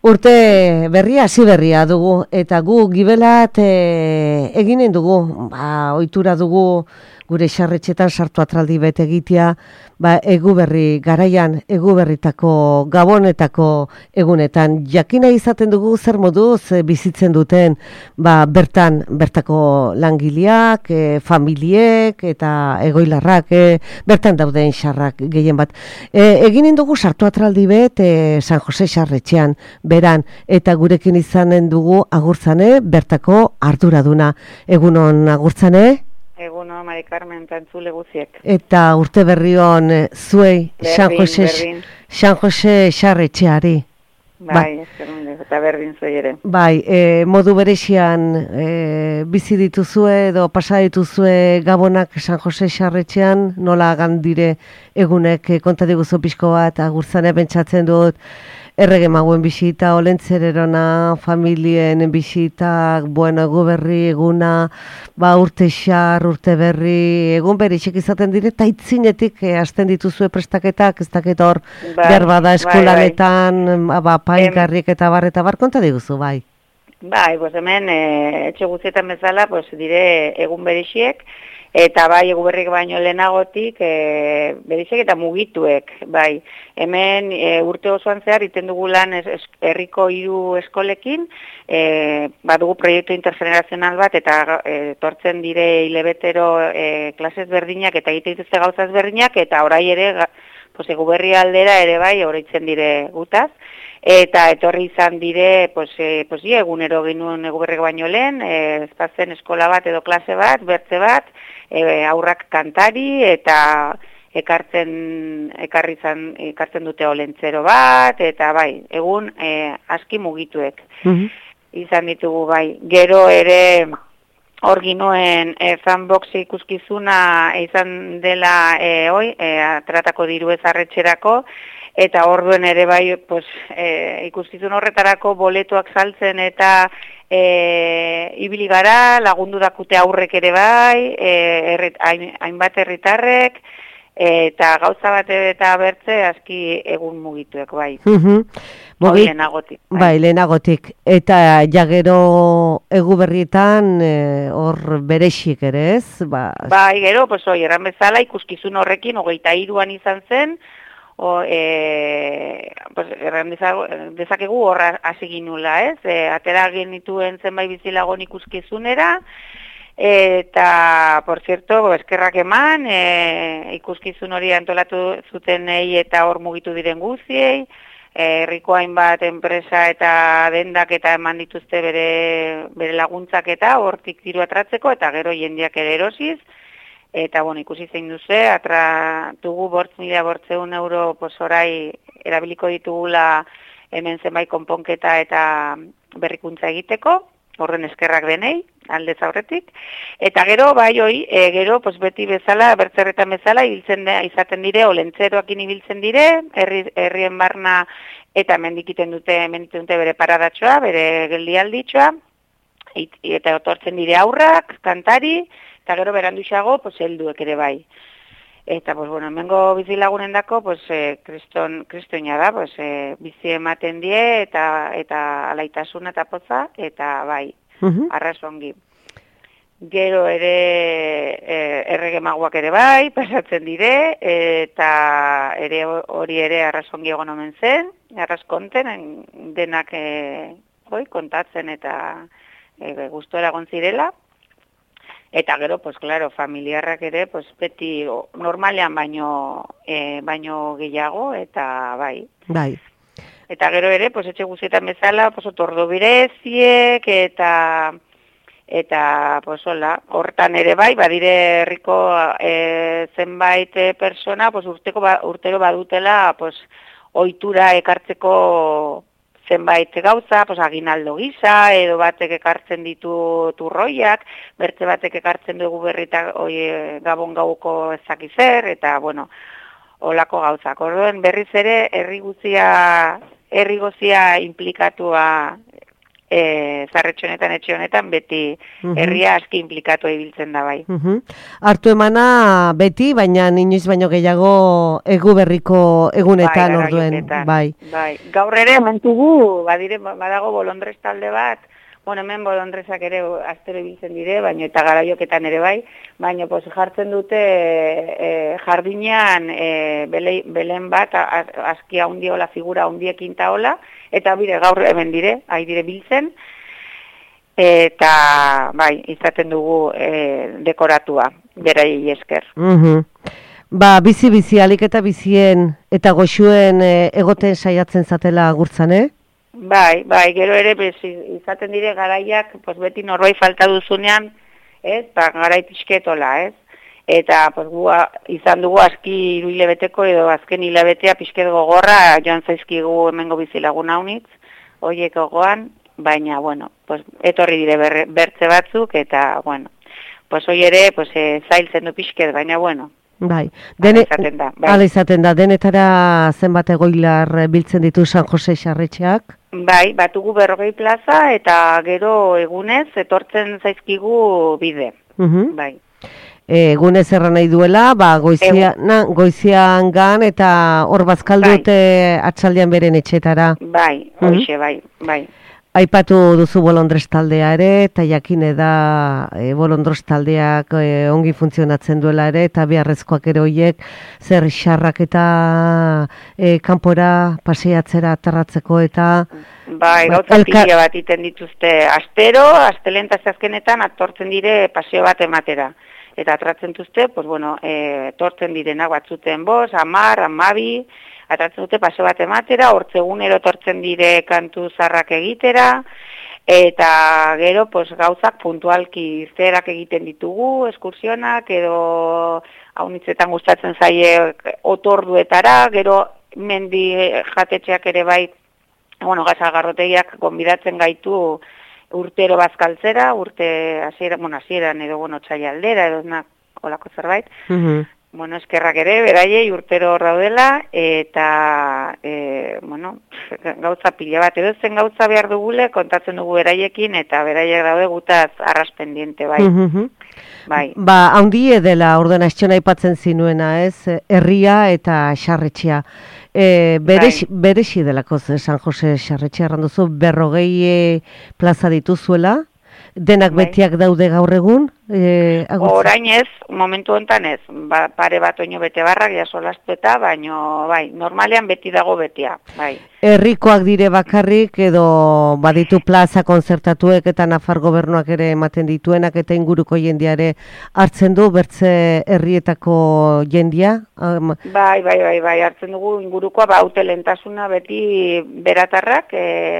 Urte berria, hasi berria dugu, eta gu gibelat eginen dugu, ohitura dugu gure xarretxetan sartu atraldi bete egitea, egu berri garaian, egu berritako gabonetako egunetan, jakina izaten dugu zer moduz bizitzen duten, bertako langileak, familiek eta egoilarrak, bertan dauden xarrak gehien bat. Eginen dugu sartu atraldi bet San Jose xarretxean, beran, eta gurekin izanen dugu agurtzane, bertako arduraduna. Egunon agurtzane? Egunon, Mari Carmen, tantzule guziek. Eta urte berri hon zuei, San Jose xarretxeari. Bai, eta berdin zuei ere. Bai, modu berexian bizi dituzue edo pasa dituzue gabonak San Jose xarretxean, nola gandire egunek konta diguzu pixko bat, agurtzane pentsatzen dut, errege maguen bisita, olentzererona, familien bisitak, egu berri, eguna, urte xar, urte berri, egun berixek izaten dire, eta itzinetik hasten dituzue prestaketak, ez dakit hor, behar bada eskulanetan, painkarrik eta bar, konta diguzu, bai? Bai, hemen, etxe guztietan bezala, dire egun berixiek, eta bai, egu berrik baino lehenagotik, berixek eta mugituek, bai. Hemen urte osoan zehar, iten dugu lan herriko 3 eskolekin, badugu proiektu intergenerazional bat, eta tortzen dire hilebetero klasez berdinak, eta egite dituzte gauzaz berdinak, eta orai ere, egu berri aldera ere bai, horreitzen dire gutaz. Eta etorri izan dire, egunero genuen egu berrik baino lehen, ezpazen eskola bat edo klase bat, bertze bat, aurrak kantari, eta ekartzen dute olentzero bat, eta bai, egun aski mugituek izan ditugu bai. Gero ere hor ginuen fanbox ikuskizuna izan dela tratako diru ezarretxerako, eta orduen ere bai ikuskizun horretarako boletoak saltzen eta ibili gara, lagundu dakute aurrek ere bai, hainbat herritarrek, eta gauza bat eta bertze aski egun mugituek bai. Lehenagotik. Bai, lehenagotik. Eta jagero egu berrietan hor berexik ere ez? Bai, gero, erran bezala ikuskizun horrekin 23an izan zen, erran dezakegu horra hasi ginula, ez? Atera genituen zenbait bizilagon ikuskizunera, eta, por cierto, eskerrak eman, ikuskizun hori antolatu zutenei eta hor mugitu diren guziei, herriko hainbat enpresa eta dendak eta eman dituzte bere laguntzak eta hortik diru atratzeko, eta gero jendeak ere erosiz, eta, ikusi zein duze, atratugu 5.800 euro orai erabiliko ditugula hemen zenbait konponketa eta berrikuntza egiteko, horren eskerrak denei, aldez aurretik, eta gero, gero, beti bezala, bertzerretan bezala, izaten dire, olentzeroakin ibiltzen dire, herrien barna, eta mendikiten dute bere paradatxoa, bere geldialditxoa, eta otortzen dire aurrak, kantari, eta gero beranduxago, helduek ere bai. Eta, hemengo bizilagunen dako, kristoina da, bizi ematen die, eta alaitasuna eta poza, eta bai, arrazongi. Gero ere errege maguak ere bai, pasatzen dire, eta hori ere arrazongi egon omen zen, arrazkonten, denak kontatzen eta gustora egon zirela. Eta gero, familiarrak ere, beti normalean baino gehiago, eta bai. Bai. Eta gero ere, etxe guztietan bezala, otordu bireziek, eta hortan ere bai, badire herriko zenbait persona, urtero badutela, ohitura ekartzeko zenbait gauza, aginaldo gisa, edo batek ekartzen ditu turroiak, bertze batek ekartzen dugu berrita gabon gauko ezakizer, eta, olako gauzak. Orduen berriz ere, herri guzia implikatua zarretxo honetan, etxe honetan, beti herria aski implikatu ibiltzen da bai. Hartu emana beti, baina inoiz baino gehiago Eguberriko egunetan orduen. Bai. Gaur ere hementugu badago bolondrez talde bat, bueno, hemen bolondrezak ere astero ibiltzen dire, baina eta garaioketan ere bai, baina jartzen dute jardinean belen bat, aski handiola figura handiekin taola, eta bide gaur hemen dire, dire biltzen, eta bai, izaten dugu dekoratua, berai esker. Ba, bizi alik eta bizien eta goxuen egoten saiatzen zatela agurtzan, Bai, gero ere izaten dire garaiak, beti norbait falta duzunean, garai pixketola, Eta izan dugu aski 3 hilabeteko edo azken hilabetea pixket gogorra joan zaizkigu hemengo bizilagun haunitz, horiek gogoan, baina, bueno, etorri dire bertze batzuk, eta, bueno, hoi ere zailtzen du pixket, baina, bueno, bai, hala izaten da, denetara zenbat egoilar biltzen ditu San Jose Sarretxeak? Bai, batugu 40 plaza eta gero egunez etortzen zaizkigu bide. Bai. Egunez erran nahi duela, goizian gan eta hor bazkaldute atxaldean beren etxetara. Bai, hoxe, bai. Aipatu duzu bolondrez taldea ere, eta jakine da bolondrez taldeak ongi funtzionatzen duela ere, eta beharrezkoak ere horiek zer xarrak eta kanpora paseatzera aterratzeko eta... Bai, gauza pila bat iten dituzte astero, astelentaz azkenetan atortzen dire paseo bat ematera. Eta atratzen duzte, tortzen direnak batzuten 5, 10, 12, atratzen dute paseo bat ematera, hortzegunero tortzen dire kantu zarrak egitera, eta gero gauzak puntualki irteerak egiten ditugu, eskursionak, edo haunitzetan gustatzen zaie otorduetara, gero mendi jatetxeak ere bai, gazagarrotegiak gonbidatzen gaitu urtero bazkaltzera, hasieran edo txaila aldera, edo olako zerbait. Eskerrak ere, beraiei urtero hor daudela, eta, gauza pila bat, edo zen gauza behar dugule, kontatzen dugu beraiekin, eta beraiek daude gutaz arras pendiente, bai. Bai. Ba, haundi edela ordena estxona aipatzen zinuena, ez? Herria eta Sarretxea. Berexi delako San Jose Sarretxea erranduzu, 40 plaza dituzuela, denak betiak daude gaur egun? Orain ez, momentu honetan ez, pare bat oino bete barrak jasolastu eta, baino, bai, normalean beti dago betia, bai. Herrikoak dire bakarrik edo baditu plaza konzertatuek eta Nafar gobernuak ere ematen dituenak eta inguruko jendiare hartzen du bertze herrietako jendia? Bai, hartzen dugu ingurukoa, haute lentasuna beti beratarrak,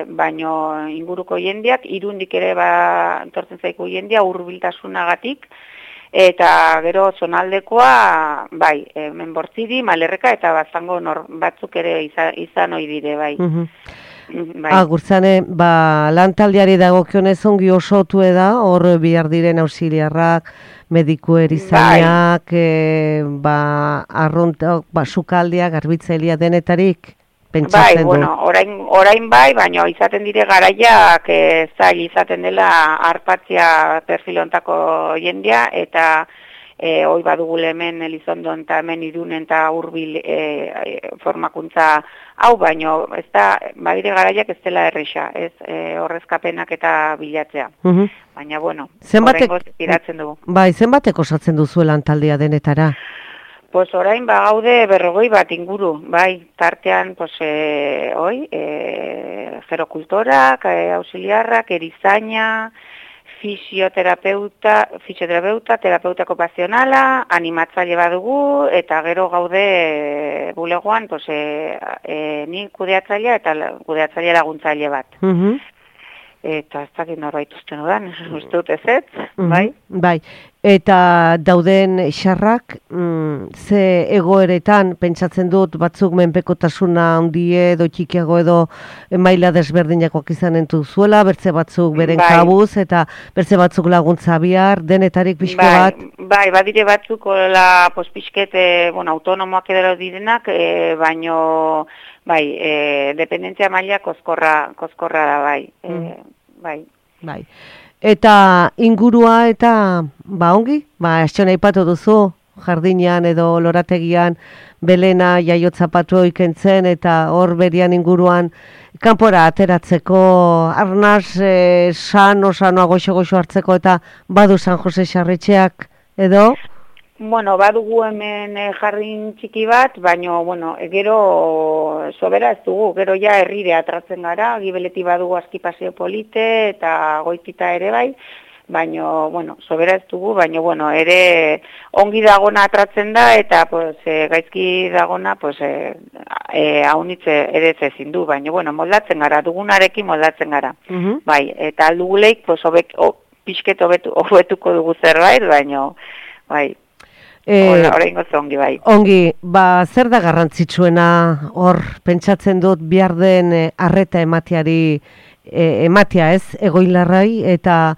baino inguruko jendiak, Irundik ere entortzen zaiku jendia, hurbiltasunagatik, eta gero zonaldekoa, bai, Menbortziri, Malerreka eta Baztango batzuk ere izan ohi dire, bai. Agurtzane, lantaldeari dagokionez ongi osotu da, hor bihar diren auxiliarrak, mediku erizainak, sukaldiak, garbitzaileak denetarik? Bai, orain bai, baina izaten dire garaiak zail izaten dela arpatzia perfilontako jendia, eta hoi badugu hemen Elizondon eta hemen Irunen eta Hurbil formakuntza hau, baino ez da, badire garaiak ez dela erresa, ez horrezkapenak eta bilatzea. Baina, horrengoz iratzen dugu. Bai, zenbatek osatzen duzuelan taldea denetara? Orain gaude 40 bat inguru, bai, tartean, gerokultorak, auxiliarrak, erizaina, fisioterapeuta, terapeuta okupazionala, animatzaile badugu, eta gero gaude bulegoan, ni kudeatzailea eta kudeatzaile laguntzaile bat. Eta ez dakit norbait usten odan, uste dut ez, bai? Bai, eta dauden xarrak, ze egoeretan, pentsatzen dut, batzuk menpekotasuna handie edo txikiago edo maila desberdinakoak izanen duzuela, bertze batzuk beren kabuz, eta bertze batzuk laguntza bihar, denetarik pixko bat? Bai, badire batzuk, pixket, autonomoak edero direnak, baino, bai, dependentzia maila koskorra da, bai. bai. Bai. Eta ingurua eta ongi, estxona aipatu duzu, jardinean edo lorategian Belena jaiotzapatu ikentzen eta hor berian inguruan kanpora ateratzeko arnaz sano goxo hartzeko eta badu San Jose Sarretxeak edo? Bueno, badugu hemen jardin txiki bat, baina, gero sobera ez dugu, gero ja herrire atratzen gara, Gibeleti badugu aski paseo polite eta Goitita ere bai, baina, sobera ez dugu, baina, ere ongi dagona atratzen da eta gaizki dagona haunitze ere ezin du, baina, moldatzen gara, dugunarekin moldatzen gara. Bai, eta alduguleik pixket hobetuko dugu zerbait, baina, bai. Oraingo zongi bai. Ongi, zer da garrantzitsuena hor pentsatzen dut behar den arreta ematea ez, egoilarrai eta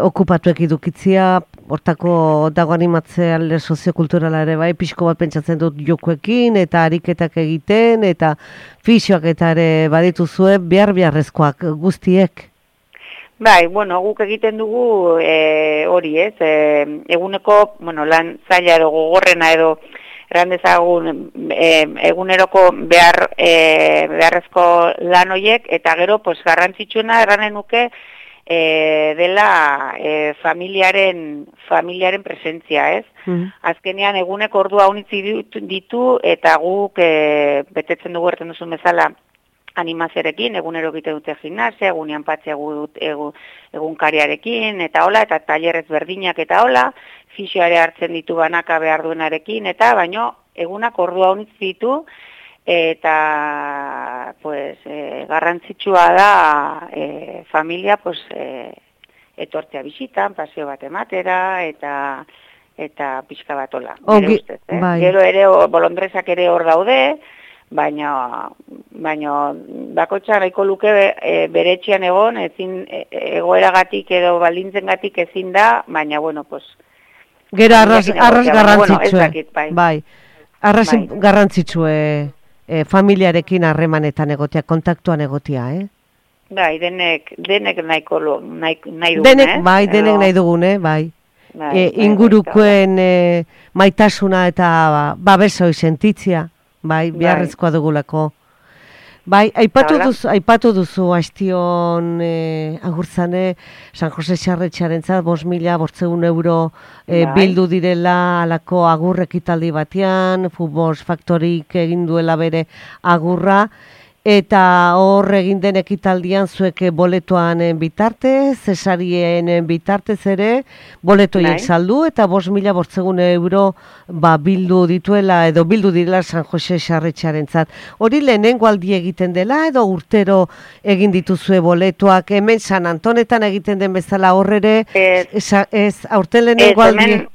okupatuek edukitzia, hortako dago animatzea alde soziokulturala ere bai, pixko bat pentsatzen dut jokuekin eta ariketak egiten eta fisioak eta ere badituzue beharrezkoak guztiek. Bai, guk egiten dugu hori ez, eguneko, lan zaila edo gogorrena edo errandezagun eguneroko beharrezko lan horiek, eta gero garrantzitsuena erranen nuke dela familiaren presentzia ez. Azkenean eguneko ordua unitzi ditu eta guk betetzen dugu erten duzun bezala animazioarekin, egunero egiten dute gimnasia, egunean patzea egunkariarekin, eta hola, eta tailerrez berdinak eta hola, fisioare hartzen ditu banaka behar duenarekin, eta baino egunak ordua honitz ditu, eta garrantzitsua da familia etortzea bisitan, paseo bat ematera, eta pixka bat hola. Gero ere, bolondrezak ere hor daude, baina bakotxa nahiko luke bere etxean egon, ezin egoeragatik edo baldintzengatik ezin da, baina gero arras garrantzitsue. Bai. Arras garrantzitsue familiarekin harremanetan egotea, kontaktuan egotea, Bai, denek nahi dugun, denek nahi dugun, bai. Ingurukuen maitasuna eta babesoi sentitzia. Bai, beharrezkoa dugulako. Bai, aipatu duzu Astion Agurzane, San Jose Sarretxearentzat 5.500 euro bildu direla alako agur ekitaldi batean, Futbol Faktorik egin duela bere agurra, eta hor egin den ekitaldian zuek boletoan bitartez, cesarien bitartez ere, boletoiek saldu eta 5.500 euro bildu dituela edo bildu direla San Jose Sarretxearentzat. Hori lehenengo aldi egiten dela edo urtero egin dituzue boletoak, hemen San Antonetan egiten den bezala horrere, ez aurten lehenengo aldi?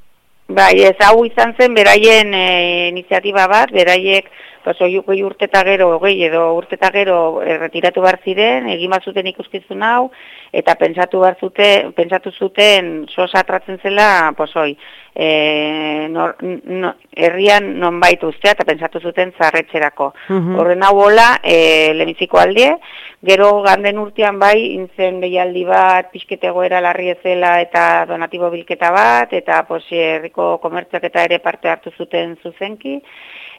Bai, ez hau izan zen beraien iniziatiba bat, beraiek hogei urte eta gero, retiratu behar ziren, egin bat zuten ikuskizun hau, eta pentsatu zuten sosa atratzen zela, herrian nonbait ustea, eta pentsatu zuten zarretxerako. Horren hau hola, leheniziko aldie, gero ganden urtean bai, intzen behialdi bat, pixketegoera larri ezela eta donatibo bilketa bat, eta herriko komertziak eta ere parte hartu zuten zuzenki,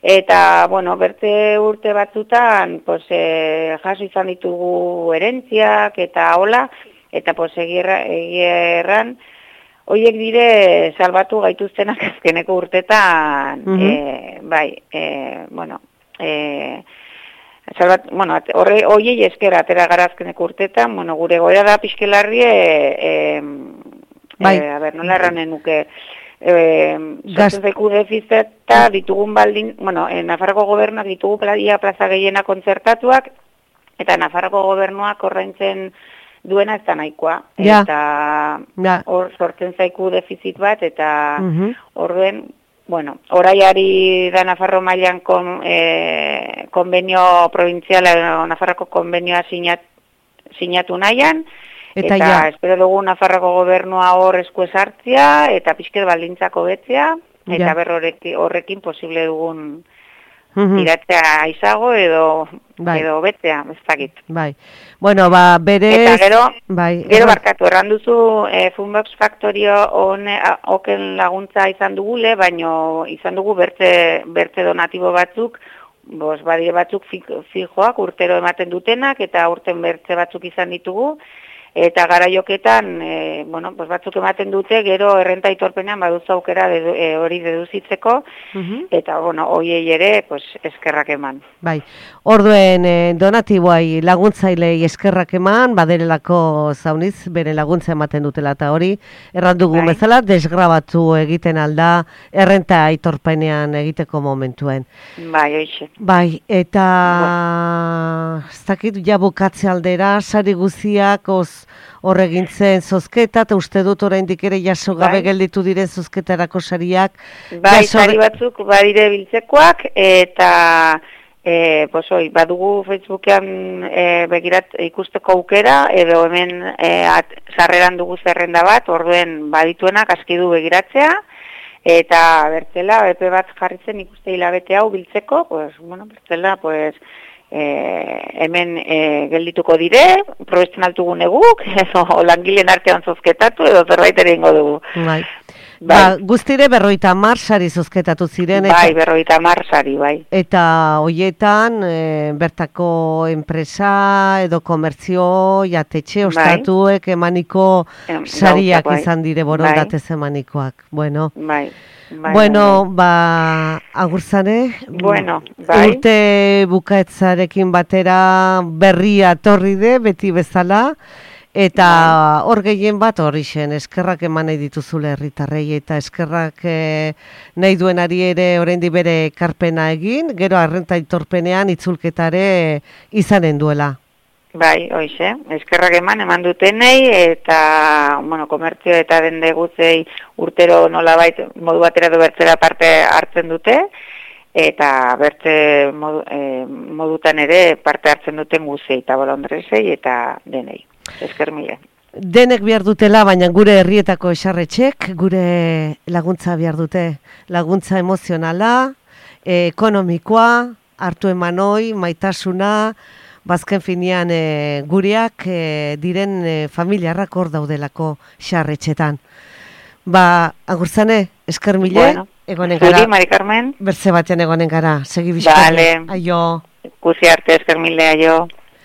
eta, berte urte batzutan, jaso izan ditugu erentziak eta hola, eta egierran, horiek dire salbatu gaituztenak azkeneko urtetan, horiei esker atera gara azkeneko urtetan, gure goera da pixkelarrie, nola erranen nuke, sortzen zaiku defizeta ditugun baldin, Nafarroko gobernuak ditugu plaza gehiena kontzertatuak, eta Nafarroko gobernuak ordaintzen duena ez da nahikoa. Eta hor sortzen zaiku defizit bat, eta horren, oraiari da Nafarro mailan konbenio provintziala, Nafarroko konbenioa sinatu nahian, eta espero dugu Nafarroko gobernua hor esku esartzia, eta pixket baldintzako betzea, eta horrekin posible dugun tiratzea aizago edo betzea, ez dakit. Bai. Bueno, berez... Eta gero, bai, barkatu, erranduzu Funbox Factorio oken laguntza izan dugule, baino izan dugu bertze donatibo batzuk, badire batzuk fijoak urtero ematen dutenak, eta urten bertze batzuk izan ditugu, eta garaioketan, batzuk ematen dute, gero errenta aitorpenean baduzu aukera hori deduzitzeko, eta, hoiei ere, eskerrak eman. Bai, orduen donatiboai laguntzailei eskerrak eman, baderelako zauniz, bere laguntza ematen dutela, eta hori, errandugu bezala, desgrabatu egiten alda, errenta aitorpenean egiteko momentuen. Bai, hoixe. Bai, eta, ez dakit, jabukatze aldera, sari guziak, horregintzen zozketa, eta uste dut oraindik ere jaso gabe gelditu diren zozketarako sariak. Bai, sari batzuk badire biltzekoak, eta badugu Facebookean begirat ikusteko aukera, edo hemen sarreran dugu zerrenda bat, orduen badituenak aski du begiratzea, eta bertzela, epe bat jarritzen ikuste hilabete hau biltzeko, bertzela, hemen geldituko dire, probesten altugun eguk, edo langileen artean zozketatu, edo zerbait ere ingo dugu. Bai. Guztire 50 sari zozketatu ziren. Bai, 50 sari, bai. Eta hoietan, bertako enpresa edo komertzio, jatetxe, ostatuek emaniko sariak izan dire borondatez emanikoak. Bueno. Bai. Agurzane, bai. Urte bukaetzarekin batera berria torri de, beti bezala, eta hor gehien bat hori zen, eskerrak eman nahi dituzule herritarrei, eta eskerrak nahi duenari ere oraindik bere ekarpena egin, gero arrenta aitorpenean itzulketare izanen duela. Bai, hoize, eskerrak eman dutenei, eta, komertzio eta dende gutzei urtero nolabait modu batera edo bertzera parte hartzen dute, eta bertze modutan ere parte hartzen duten guzei, eta bolondresei, eta denei. Esker mila. Denek behar dutela, baina gure herrietako esarretxek, gure laguntza behar dute. Laguntza emozionala, ekonomikoa, hartu emanoi, maitasuna, bazken finean gureak diren familiarrak hor daudelako xarretxetan. Agurzane, esker mile, egonen gara. Zuri, Mari Carmen. Bertze batean egonen gara, segi bizkari. Vale. Aio. Kusi arte, esker mile, aio.